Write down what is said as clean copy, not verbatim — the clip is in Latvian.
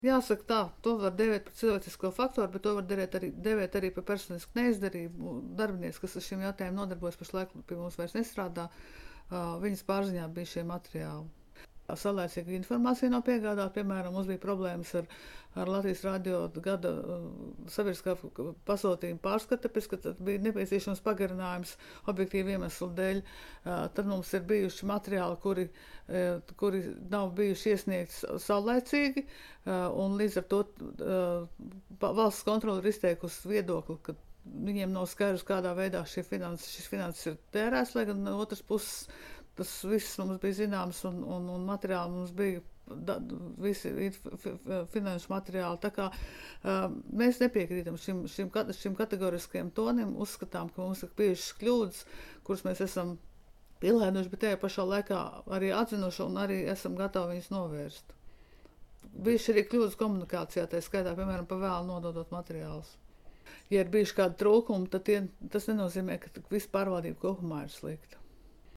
Jāsaka tā, to var devēt par cilvēcisko faktoru, bet to var devēt arī par personisku neizdarību. Darbinieks, kas ar šiem jautājumiem nodarbojas, pašlaik pie mums vairs nestrādā, viņas pārziņā bija šie materiāli. Saulēcīga informācija nav piegādāta. Piemēram, mums bija problēmas ar Latvijas radio gada sabiedriskā pasūtījuma pārskatu, tāpēc, ka bija nepieciešams pagarinājums objektīvu iemeslu dēļ. Tad mums ir bijuši materiāli, kuri nav bijuši iesniegti saulēcīgi, un līdz ar to valsts kontrole ir izteikusi viedokli, ka viņiem nav skaidrs, kādā veidā šis finanses ir tērēts, lai gan no otras puses tas viss mums bija zināms un materiāli mums bija visi finanšu materiāli. Tā kā mēs nepiekrītam šim kategoriskajam tonim, uzskatām, ka mums ir bijušas kļūdas, kuras mēs esam pielēduši, bet tajā pašā laikā arī atzinuši un arī esam gatavi viņas novērst. Bijuši arī kļūdas komunikācijā, tā skaitā, piemēram, pa vēlu nododot materiālus. Ja ir bijuši kādi trūkumi, tad tas nenozīmē, ka viss pārvaldība kopumā ir slikta.